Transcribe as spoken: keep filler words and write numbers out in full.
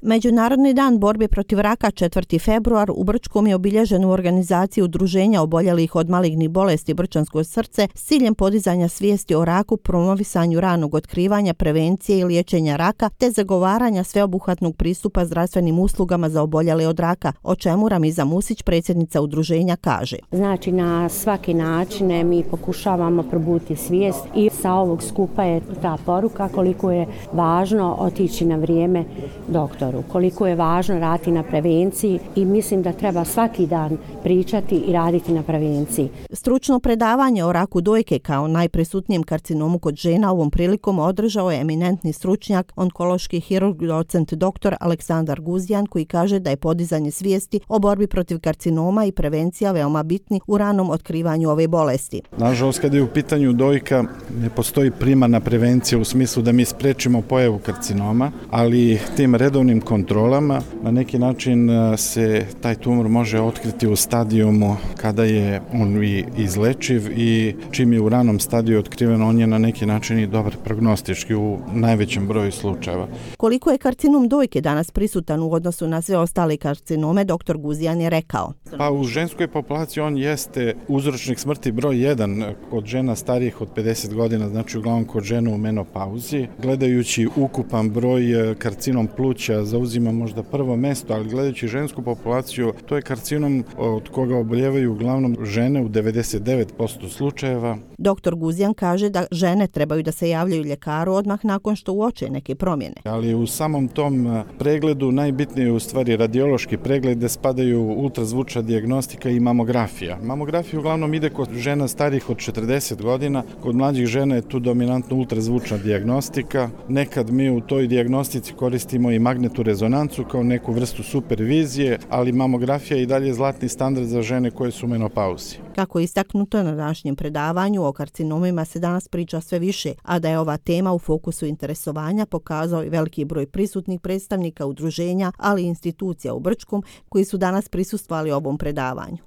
Međunarodni dan borbe protiv raka četvrti februar u Brčkom je obilježen u organizaciji udruženja oboljelih od malignih bolesti Brčansko srce s ciljem podizanja svijesti o raku, promovisanju ranog otkrivanja, prevencije i liječenja raka te zagovaranja sveobuhvatnog pristupa zdravstvenim uslugama za oboljele od raka, o čemu Ramiza Musić, predsjednica udruženja, kaže. Znači na svaki način mi pokušavamo probuditi svijest i sa ovog skupa je ta poruka koliko je važno otići na vrijeme doktoru, koliko je važno raditi na prevenciji i mislim da treba svaki dan pričati i raditi na prevenciji. Stručno predavanje o raku dojke kao najprisutnijem karcinomu kod žena ovom prilikom održao je eminentni stručnjak, onkološki hirurg, docent doktor Aleksandar Guzjan, koji kaže da je podizanje svijesti o borbi protiv karcinoma i prevencija veoma bitni u ranom otkrivanju ove bolesti. Nažalost, kada je u pitanju dojka, ne postoji primarna prevencija u smislu da mi sprečimo pojavu karcinoma, ali tim redovnim kontrolama na neki način se taj tumor može otkriti u stadijumu kada je on i izlečiv i čim je u ranom stadiju otkriven, on je na neki način i dobar prognostički u najvećem broju slučajeva. Koliko je karcinom dojke danas prisutan u odnosu na sve ostale karcinome, doktor Guzjan je rekao. Pa u ženskoj populaciji on jeste uzročnik smrti broj jedan kod žena starijih od pedeset godina, znači uglavnom kod žena u menopauzi. Gledajući ukupan broj karcinom pluća zauzima možda prvo mesto, ali gledajući žensku populaciju, to je karcinom od koga oboljevaju uglavnom žene u devedeset devet posto slučajeva. Doktor Guzjan kaže da žene trebaju da se javljaju ljekaru odmah nakon što uoče neke promjene. Ali u samom tom pregledu najbitnije je u stvari radiološki pregled gde spadaju ultrazvučna dijagnostika i mamografija. Mamografija uglavnom ide kod žena starijih od četrdeset godina, kod mlađih žena je tu dominantno ultrazvučna dijagnostika. Nekad mi u toj dijagnostici koristimo i magnetnu rezonancu kao neku vrstu supervizije, ali mamografija je i dalje zlatni standard za žene koje su u menopauzi. Kako je istaknuto na današnjem predavanju, o karcinomima se danas priča sve više, a da je ova tema u fokusu interesovanja pokazao i veliki broj prisutnih predstavnika udruženja, ali i institucija u Brčkom koji su danas prisustvovali ovom predavanju.